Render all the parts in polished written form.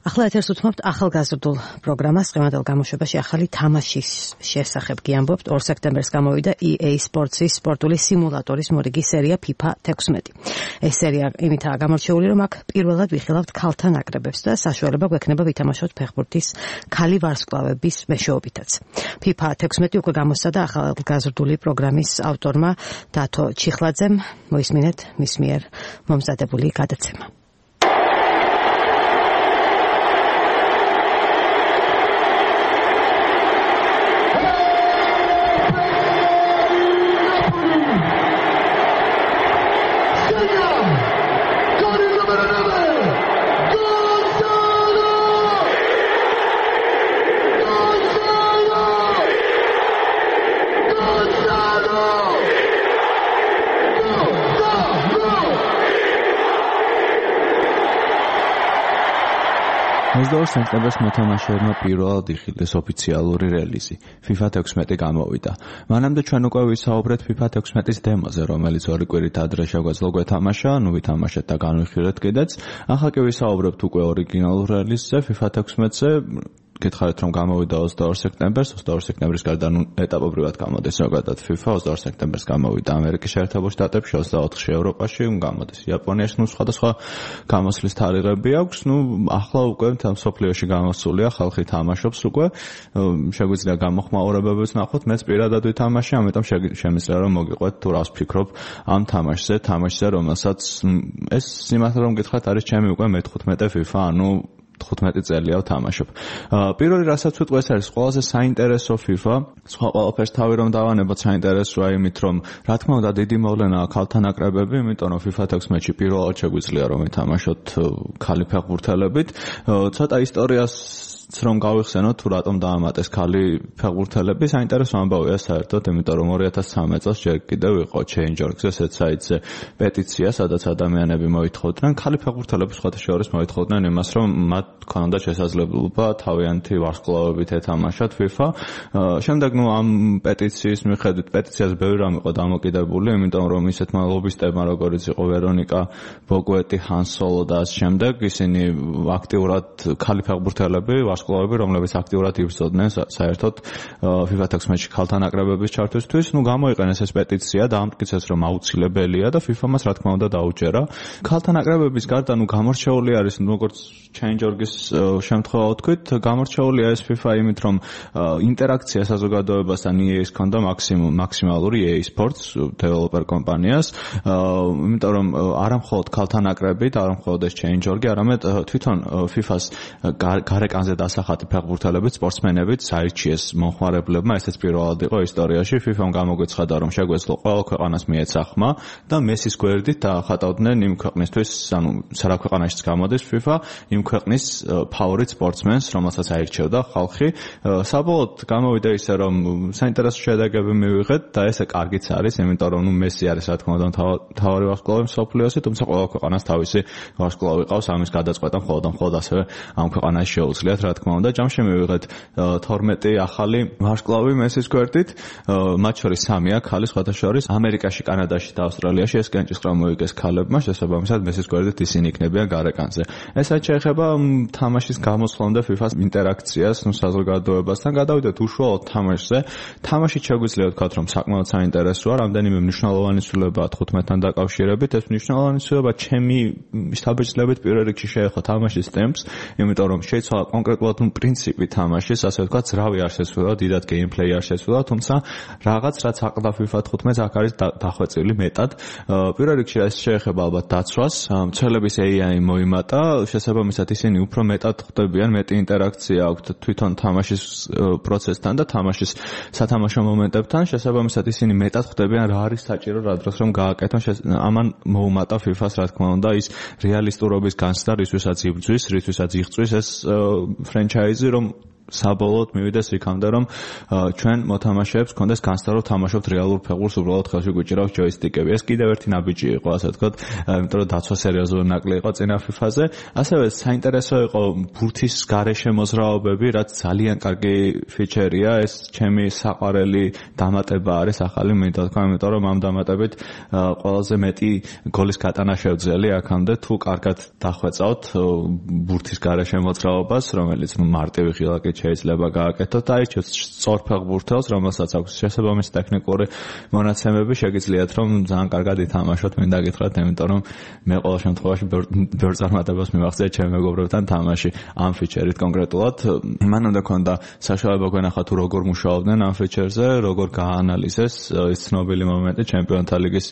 ახლა ეთერს უთმობთ ახალგაზრდულ პროგრამას. დღევანდელ გამოშვებაში ახალი თამაშის შესახებ გიამბობთ. 2 სექტემბერს გამოვიდა EA Sports-ის სპორტული სიმულატორის მორიგი სერია FIFA 16. ეს სერია იმითაა გამორჩეული, რომ აქ პირველად ვიხილავთ ქალთა ნაკრებებს და საშუალება გვექნება ვითამაშოთ ფეხბურთის ქალი ვარსკვლავების მეშვეობითაც. FIFA 16 უკვე გამოსცადა ახალგაზრდული პროგრამის ავტორმა დათო ჩიხლაძემ. მოისმინეთ მის მიერ მომზადებული გადაცემა. სექტემბერს მოთამაშეებმა პირველად იხილეს ოფიციალური რელიზი. FIFA 16 გამოვიდა. მანამდე ჩვენ უკვე ვისაუბრეთ FIFA 16-ის დემოზე, რომელიც 2 კვირით ადრე შეგვეძლო გვეთამაშა, ვითამაშეთ და განვიხილეთ კიდეც. ახლა კი ვისაუბრებთ უკვე ორიგინალურ რელიზზე, FIFA 16-ზე. გითხარით რომ გამოვიდა 22 სექტემბერს, 22 სექტემბრის გარდა ეტაპობრივად გამოდის ზოგადად FIFA, 22 სექტემბერს გამოვიდა ამერიკის შეერთებულ შტატებში, 24-ში ევროპაში, გამოდის იაპონიაში, სხვადასხვა გამოსვლის თარიღები აქვს. ახლა უკვე მსოფლიოში გამოსულია, ხალხი თამაშობს უკვე. შეგვიძლია გამოხმაურებებიც ნახოთ, მეც პირადად ვითამაშე, ამიტომ შემიძლია რომ მოგიყვეთ თუ რას ვფიქრობ ამ თამაშზე, რომელსაც ეს სიმართლე რომ გითხრათ არის ჩემი უკვე მე-15 FIFA, 15 წელია ვთამაშობ. პირველი რასაც ვიტყვი ეს არის ყველაზე საინტერესო FIFA. სხვა ყველაფერს თავი რომ დავანებოთ საინტერესოა იმით რომ რა თქმა უნდა დიდი მოვლენაა ქალთა ნაკრებები, იმიტომ რომ FIFA 16-ში პირველად შეგვიძლია რომ ვითამაშოთ ქალი ფეხბურთელებით. ცოტა ისტორიას რომ გავიხსენოთ თუ რატომ დაამატეს ქალი ფეხბურთელები, საინტერესო ამბავია საერთოდ, იმიტომ რომ 2013 წელს ჯერ კიდევ იყო Change.org-ზე ესეთ საიტზე პეტიცია, სადაც ადამიანები მოითხოვდნენ, ქალი ფეხბურთელები სხვათა შორის მოითხოვდნენ იმას, რომ მათ ქონდათ შესაძლებლობა თავიანთი ვარსკვლავებით ეთამაშათ FIFA. შემდეგ ამ პეტიციის მიხედვით პეტიციას ბევრი რამ იყო დამოკიდებული, იმიტომ რომ ისეთმა ლობისტებმა როგორიც იყო ვერონიკა ბოგვეტი, ჰან სოლო და ამ შემდეგ ისინი აქტიურად ქალი ფეხბურთელები ვარსკვლავები, რომლებიც აქტიურად იბრძოდნენ საერთოდ FIFA 16-ში ქალთა ნაკრებების ჩართვისთვის. გამოიყენეს ეს პეტიცია და ამტკიცეს, რომ აუცილებელია და FIFA-მას რა თქმა უნდა დაუჯერა. ქალთა ნაკრებების გარდა გამორჩეული არის, როგორც Change.org-ის შემთხვევა ვთქვით, გამორჩეულია ეს FIFA იმით, რომ ინტერაქცია საზოგადოებასთან EA-ს ჰქონდა მაქსიმალური EA Sports developer კომპანიას, იმიტომ რომ არა მხოლოდ ქალთა ნაკრები და არა მხოლოდ ეს Change.org-ი, არამედ თვითონ FIFA-ს გარეკანზე დასახატი ფეხბურთელებით, სპორტსმენებით საირჩიეს მომხმარებლებმა, ესეც პირველად იყო ისტორიაში. FIFA-მ გამოგვეცხადა, რომ შეგვეძლო ყველა ქვეყანას მიეცა ხმა და მესის გვერდით დაახატავდნენ იმ ქვეყნისთვის, საერთოდ ქვეყანაშიც გამოდის FIFA, იმ ქვეყნის ფავორიტ სპორტსმენს, რომელსაც აირჩევდა ხალხი. საბოლოოდ გამოვიდა ისე, რომ საინტერესო შედეგები მივიღეთ და ესე კარგიც არის, იმიტომ რომ მესი არის რა თქმა უნდა მთავარი ვარსკვლავი მსოფლიოში, თუმცა ყველა ქვეყანას თავისი ვარსკვლავი ყავს, ამის გადაწყვეტა მხოლოდ ასევე ამ ქვეყანაში შეუძლიათ, რა თქმა უნდა. ჯამში მივიღეთ 12 ახალი ვარსკვლავი მესის გვერდით, მათ შორის 3-ია ქალი, სხვათა შორის ამერიკაში, კანადაში და ავსტრალიაში ეს კენჭისყრა მოიგეს ქალებმა, შესაბამისად მესის გვერდით ისინი იქნებიან გარეკანზე. ესაც შეეხება თამაშის გამოსვლამდე FIFA-ს ინტერაქციას საზოგადოებასთან. გადავიდეთ უშუალოდ თამაშზე. თამაში შეგვიძლია ვთქვათ, რომ საკმაოდ საინტერესოა, რამდენიმე მნიშვნელოვანი ცვლილებაა 15-თან დაკავშირებით. ეს მნიშვნელოვანი ცვლილება ჩემი შთაბეჭდილებით პირველ რიგში შეეხო თამაშის ტემპს, იმიტომ რომ შეიცვალა კონკრეტულად პრინციპი თამაშის, ასე ვთქვათ, ძრავი არ შეცვლილა, დიდად გეიმპლეი არ შეცვლილა, თუმცა რაღაც რაც აყდა FIFA 15-ს აქ არის დახვეწილი მეტად. პირველ რიგში ეს შეეხება ალბათ დაცვას, მცველების AI მოიმატა, შესაბამისად ისინი უფრო მეტად ხდებიან, მეტი ინტერაქცია აქვთ თვითონ თამაშის პროცესთან და თამაშის სათამაშო მომენტებთან, შესაბამისად ისინი მეტად ხდებიან რა არის საჭირო რა დროს რომ გააკეთონ. ამან მოუმატა FIFA-ს რა თქმა უნდა ის რეალისტურობის განცდა, რისთვისაც იბრძვის, რისთვისაც იღწვის ეს ფრენჩაიზი, რომ საბოლოოდ მივიდეს იქამდე, რომ ჩვენ მოთამაშეებს კონდეს განცდა, რომ თამაშობთ რეალურ ფეხბურთს, უბრალოდ ხელში გვიჭირავს ჯოისტიკები. ეს კიდევ ერთი ნაბიჯი იყო, ასე ვთქვათ, იმიტომ რომ დაცვა სერიოზული ნაკლი იყო წინა FIFA-ზე. ასევე საინტერესო იყო ბურთის გარეშე მოძრაობები, რაც ძალიან კარგი ფიჩერია. ეს ჩემი საყვარელი დამატება არის ახალი, მინდა თქვა, იმიტომ რომ ამ დამატებით ყველაზე მეტი გოლის გატანა შევძელი აქამდე, თუ კარგად დახვეწავთ ბურთის გარეშე მოძრაობას, რომელიც მარტივი ღილაკით შეიძლება გააკეთოთ და აირჩიოთ სწორ ფეხბურთელს, რომელსაც აქვს შესაბამისი ტექნიკური მონაცემები, შეგიძლიათ რომ ძალიან კარგად ითამაშოთ, მინდა გითხრათ, იმიტომ რომ მე ყოველ შემთხვევაში ბევრ წარმატებას მივახცია ჩემ მეგობრებთან თამაში ამ ფიჩერით კონკრეტულად. მანამდე ქონდა საშუალება გვენახა თუ როგორ მუშაობდნენ ამ ფიჩერზე, როგორ გააანალიზეს ის ცნობილი მომენტი ჩემპიონთა ლიგის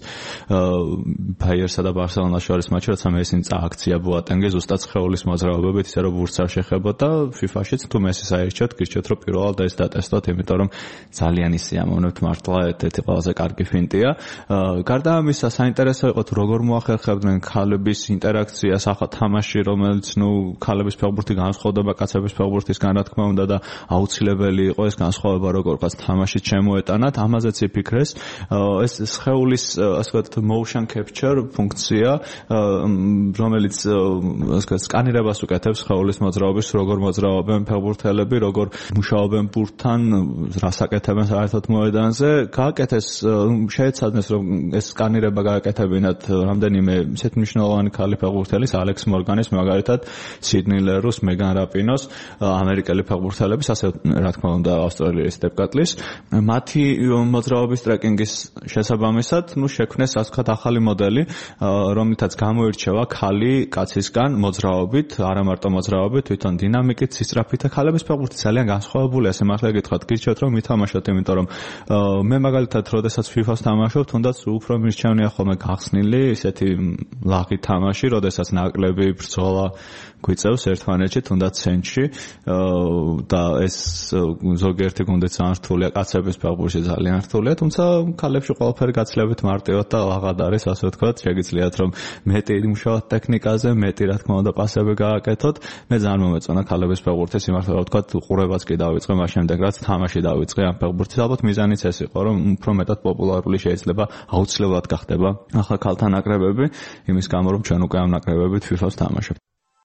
ბაიერსა და ბარსელონას შორის მატჩი, როცა მესიმ წააქცია ბოატენგე ზუსტად სხეულის მოძრაობებით, ისე რომ ბურთს არ შეხებოდა. FIFA-შიც თუ მესის აირჩიოთ, გირჩიოთ რომ პირველად ეს დატესტოთ, იმიტომ რომ ძალიან ისიამოვნებთ მართლა, ერთ-ერთი ყველაზე კარგი ფინტია. გარდა ამისა, საინტერესო იყო თუ როგორ მოახერხებდნენ ქალების ინტერაქციას ახალ თამაში, რომელიც ქალების ფეხბურთი განსხვავდება კაცების ფეხბურთისგან, რა თქმა უნდა და აუცილებელი იყო ეს განსხვავება როგორღაც თამაშით შემოეტანათ. ამაზეც იფიქრეს. ეს სხეულის, ასე ვთქვათ, motion capture ფუნქცია, რომელიც ასე ვთქვათ, სკანირებას უკეთებს სხეულის მოძრაობის, როგორ მოძრაობენ ფეხბურთელები, როგორ მუშაობენ ბურთთან, რას აკეთებენ საერთოდ მოედანზე. გააკეთეს, შეეცადნენ რომ ეს სკანირება გააკეთებინათ რამდენიმე ისეთ მნიშვნელოვანი ქალი ფეხბურთელის, ალექს მორგანის, მაგალითად, სიდნი ლერუს, მეგან რაპინოს, ამერიკელი ფეხბურთელების, ასე რა თქმა უნდა, ავსტრალიის დეპკატლის. მათი მოძრაობის ტრეკინგის შესაბამისად, შექმნეს, ასე ვთქვათ, ახალი მოდელი, რომლითაც გამოირჩევა ქალი კაცისგან მოძრაობით, არა მარტო მოძრაობით, თვითონ დინამიკით, სისწრაფით და ქალების ფეხბურთი ძალიან განსხვავებულია, ესე მართლა გითხრათ, გირჩევთ რომ ვითამაშოთ, იმიტომ რომ მე მაგალითად, როდესაც FIFA-ს თამაშობ, თუნდაც უფრო მირჩევნია ხოლმე გახსნილი, ისეთი ლაღი თამაში, როდესაც ნაკლები ბრძოლა გვიწევს ერთმანეთში, თუნდაც ცენტრში და ეს ზოგიერთი გუნდი ძალიან რთულია, კაცების ფეხბურთში ძალიან რთულია, თუმცა ქალებში ყველაფერი გაცილებით მარტივად და ლაღად არის, ასე ვთქვათ, შეგიძლიათ რომ მეტი იმუშაოთ ტექნიკაზე, მეტი რა თქმა უნდა პასები გააკეთოთ. მე ძალიან მომეწონა ქალების ფეხბურთის იმართლა, ვთქვათ, ყურებაც კი დავიწყე, მას შემდეგ რაც თამაში დავიწყე ამ ფეხბურთის, ალბათ მიზანიც ეს იყო, რომ უფრო მეტად პოპულარული შეიძლება აუცილებლად გახდება ახლა ქალთა ნაკრებები, იმის გამო რომ ჩვენ უკვე ამ ნაკრებებით FIFA-ს თამაშობთ.